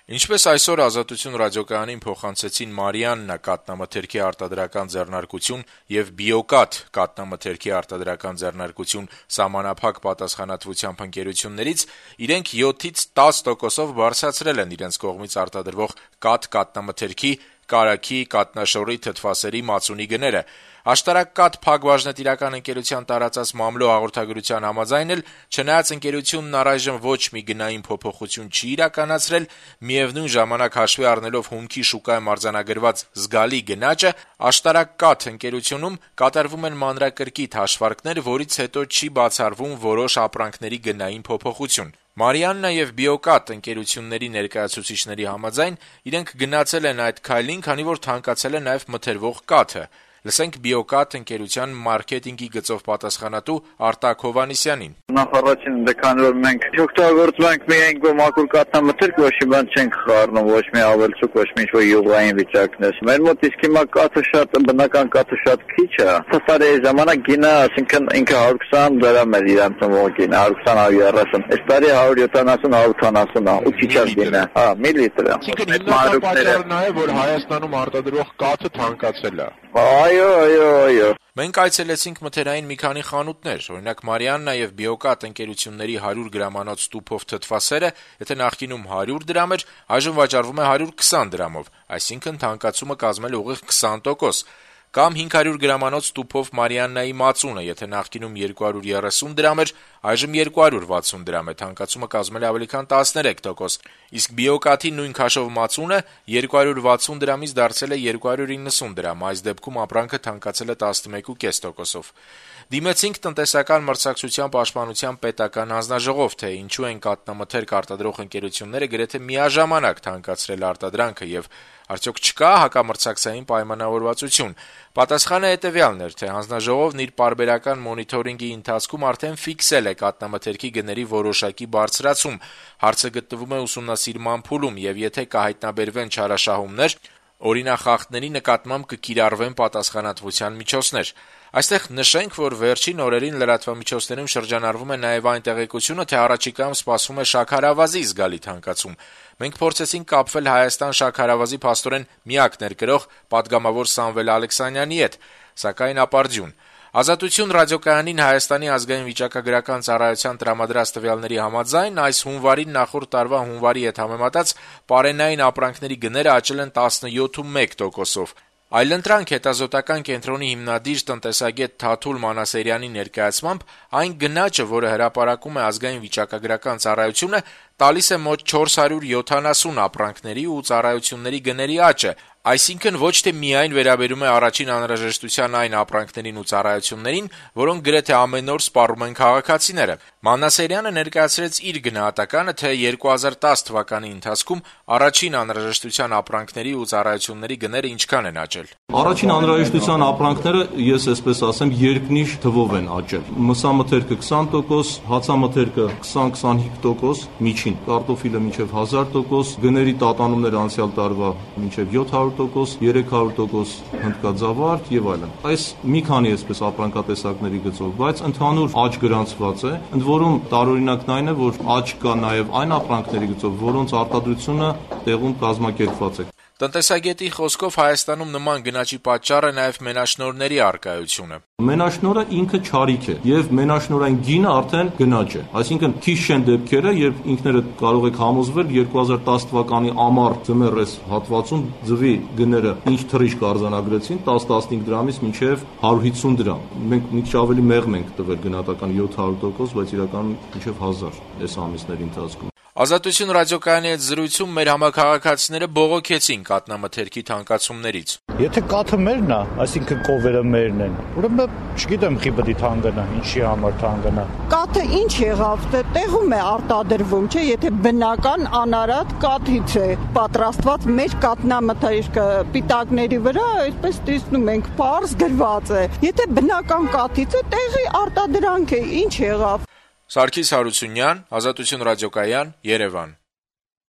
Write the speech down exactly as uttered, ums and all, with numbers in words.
Ինչպես այսօր «Ազատություն» ռադիոկայանին փոխանցեցին Մարիաննա կաթնամթերքի արտադրական ձեռնարկություն եւ Բիոկաթ կաթնամթերքի արտադրական ձեռնարկություն սահմանափակ պատասխանատվությամբ ընկերություններից, իրենք յոթից տաս տոկոսով բարձրացրել են իրենց կողմից արտադրվող կաթ կաթնամթերքի, կարագի, կաթնաշոռի, թթվասերի, մածունի գները։ Աշտարակ կաթ փակbaşնետիրական ընկերության տարածած մամլո հաղորդագրության համաձայն էլ, չնայած ընկերությունն առայժմ ոչ մի գնային փոփոխություն չի իրականացրել, միևնույն ժամանակ հաշվի առնելով հումքի շուկայում արձանագրված զգալի գնաճը, Աշտարակ կաթ ընկերությունում կատարվում են մանրակրկիտ հաշվարկներ, որից հետո չի բացառվում որոշ ապրանքների գնային փոփոխություն։ Մարիաննա եւ Բիոկաթ ընկերությունների ներկայացուցիչների համաձայն իրենք գնացել են այդ քայլին, քանի որ թանկացել է նաեւ մթերվող կաթը։ Լսենք Բիոկաթ ընկերության մարքեթինգի գծով պատասխանատու Արտակ Հովհաննիսյանին։ Նախ առաջին քանի որ մենք օգտագործում ենք միայն մաքուր կաթնամթերք, ոչ մի բան չենք խառնում, ոչ մի ավելցուկ, ոչ մի ինչ-որ յուղային վիճակներ։ Մեր մոտ իսկ հիմա կաթը շատ բնական կաթը շատ քիչ է։ Սասարի ժամանակ գինը, այսինքն ինքը հարյուր քսան դրամ էր իրանց մոտ գինը, հարյուր քսան հարյուր երեսուն։ Այս տարի հարյուր յոթանասուն հարյուր ութանասուն է, ու քիչ է գինը։ Հա, միլիտր է։ Այսինքն հիմնական պատճառն է, որ Հայաստանում արտադրող կաթը թանկացել է։ Այո, այո, այո։ Մենք այցելեցինք մթերային մի քանի խանութներ, օրինակ Մարիաննա եւ Բիոկաթ ընկերությունների հարյուր գրամանոց տուփով թթվասերը, եթե նախկինում հարյուր դրամ էր, այժմ վաճառվում է հարյուր քսան դրամով, այսինքն թանկացումը կազմել է ուղիղ քսան տոկոս։ Կամ հինգ հարյուր գրամանոց տուփով Մարիաննայի մածունը, եթե նախկինում երկու հարյուր երեսուն դրամ էր, այժմ երկու հարյուր վաթսուն դրամ է, թանկացումը կազմել է ավելի քան տասներեք տոկոս։ Իսկ Բիոկաթի նույն քաշով մածունը երկու հարյուր վաթսուն դրամից դարձել է երկու հարյուր իննսուն դրամ, այս դեպքում ապրանքը թանկացել է տասնմեկ կես տոկոսով։ Դիմեցինք տնտեսական մրցակցության պաշտպանության պետական հանձնաժողով, թե ինչու են կաթնամթերք արտադրող ընկերությունները գրեթե միաժամանակ թանկացրել արտադրանքը եւ արդյոք չկա հակամրցակցային պայմանավորվածություն։ Պատասխանը հետեւյալն էր, թե հանձնաժողովն իր պարբերական մոնիթորինգի ընթացքում արդեն ֆիքսել է կաթնամթերքի գների որոշակի բարձրացում։ Հարցը գտնվում է ուսումնասիրման փուլում եւ եթե կհայտնաբերվեն չարաշահումներ, օրինախախտների նկատմամբ կկիրառվեն պատասխանատվության միջոցներ։ Այստեղ նշենք, որ վերջին օրերին լրատվամիջոցներում շրջանառվում է նաև այն տեղեկությունը, թե առաջիկայում սպասվում է շաքարավազի զգալի թանկացում։ Մենք փորձեցինք կապվել Հայաստան շաքարավազի փաստորեն միակ ներկրող պատգամավոր Սամվել Ալեքսանյանի հետ, սակայն ապարդյուն։ Ազատություն ռադիոկայանին Հայաստանի ազգային վիճակագրական ծառայության տրամադրած տվյալների համաձայն այս հունվարին նախորդ տարվա հունվարի հետ համեմատած պարենային ապրանքների գները աճել են տասնյոթ տոկոսով։ Այլընտրանք հետազոտական կենտրոնի հիմնադիր տնտեսագետ Թաթուլ Մանասերյանի ներկայացմամբ այն գնաճը, որը հրապարակում է ազգային վիճակագրական ծառայությունը, տալիս է մոտ չորս հարյուր յոթանասուն ապրանքների ու ծառայությունների գների աճը, այսինքն ոչ թե միայն վերաբերում է առաջին անհրաժեշտության այն ապրանքներին ու ծառայություններին, որոնք գրեթե ամեն օր սպառում են քաղաքացիները։ Մանասերյանը ներկայացրեց իր գնահատականը, թե երկու հազար տաս թվականի ընթացքում առաջին անհրաժեշտության ապրանքների ու ծառայությունների գները ինչքան են աճել։ Առաջին անհրաժեշտության ապրանքները, ես այսպես ասեմ, երկնիշ թվով են աճել։ Մսամթերքը քսան տոկոս, հացամթերքը քսան քսանհինգ տոկոս, միջին, կարտոֆիլը մինչև հազար տոկոս, գների տատանումները անցյալ տարվա մինչև յոթ հարյուր տոկոս, երեք հարյուր տոկոս հնդկաձավարդ եւ այլն։ Այս մի քանի այսպես ապրանքատեսակների գծով, բայց ընդհանուր աճ գրանցված է, ընդ որում տարօրինակն այն է, որ աճ կա նաեւ այն ապրանքների գծով, որոնց արտադրությունը տեղում կազմակերպված է։ Տնտեսագետի խոսքով Հայաստանում նման գնաճի պատճառը նաև մենաշնորհների առկայությունը։ Մենաշնորհը ինքը չարիք է եւ մենաշնորհային գինը արդեն գնաճ է։ Այսինքն քիչ չեն դեպքերը, երբ ինքներդ կարող եք համոզվել երկու հազար տաս թվականի ամառ ձմեռ հատվածում ձվի գները ինչ թռիչք արձանագրեցին տաս տասնհինգ դրամից մինչեւ հարյուր հիսուն դրամ։ Մենք մի քիչ ավելի մեղմ ենք տվել գնահատական յոթ հարյուր տոկոս, բայց իրականում մինչեւ հազար այս ամիսների ընթացքում։ Ազատություն ռադիոկայանի հետ զրույցում մեր համակարգացիները բողոքեցին կաթնամթերքի թանկացումներից։ Եթե կաթը մերն է, այսինքն կովերը մերն են, ուրեմն չգիտեմ խի պետք է թանկանա, ինչի համար թանկանա։ Կաթը ինչ եղավ, տեղում է արտադրվում, չէ, եթե բնական անարատ կաթից է պատրաստված մեր կաթնամթերքը պիտակների վրա, այսպես տեսնում ենք, պարզ գրված է։ Եթե բնական կաթից է, տեղի արտադրանք է, ինչ եղավ։ Սարգիս Հարությունյան, Ազատություն ռադիոկայան, Երևան։